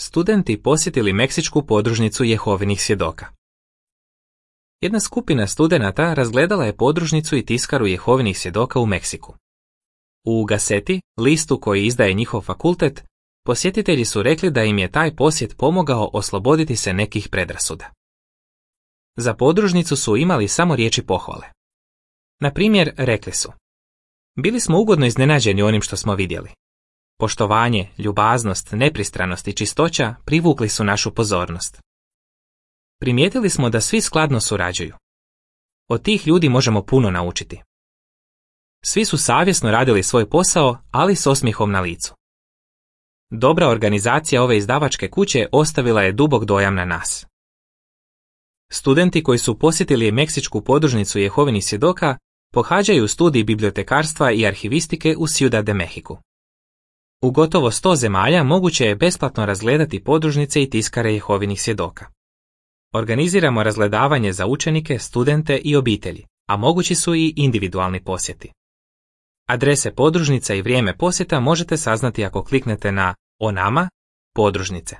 studenti posjetili meksičku podružnicu Jehovinih svjedoka. Jedna skupina studenata razgledala je podružnicu i tiskaru Jehovinih svjedoka u Meksiku. U Gazeti, listu koji izdaje njihov fakultet, posjetitelji su rekli da im je taj posjet pomogao osloboditi se nekih predrasuda. Za podružnicu su imali samo riječi pohvale. Na primjer, rekli su: bili smo ugodno iznenađeni onim što smo vidjeli. Poštovanje, ljubaznost, nepristranost i čistoća privukli su našu pozornost. Primijetili smo da svi skladno surađuju. Od tih ljudi možemo puno naučiti. Svi su savjesno radili svoj posao, ali s osmijehom na licu. Dobra organizacija ove izdavačke kuće ostavila je dubok dojam na nas. Studenti koji su posjetili meksičku podružnicu Jehovinih svjedoka pohađaju studij bibliotekarstva i arhivistike u Ciudad de Mexico. U gotovo 100 zemalja moguće je besplatno razgledati podružnice i tiskare Jehovinih svjedoka. Organiziramo razgledavanje za učenike, studente i obitelji, a mogući su i individualni posjeti. Adrese podružnica i vrijeme posjeta možete saznati ako kliknete na O nama, podružnice.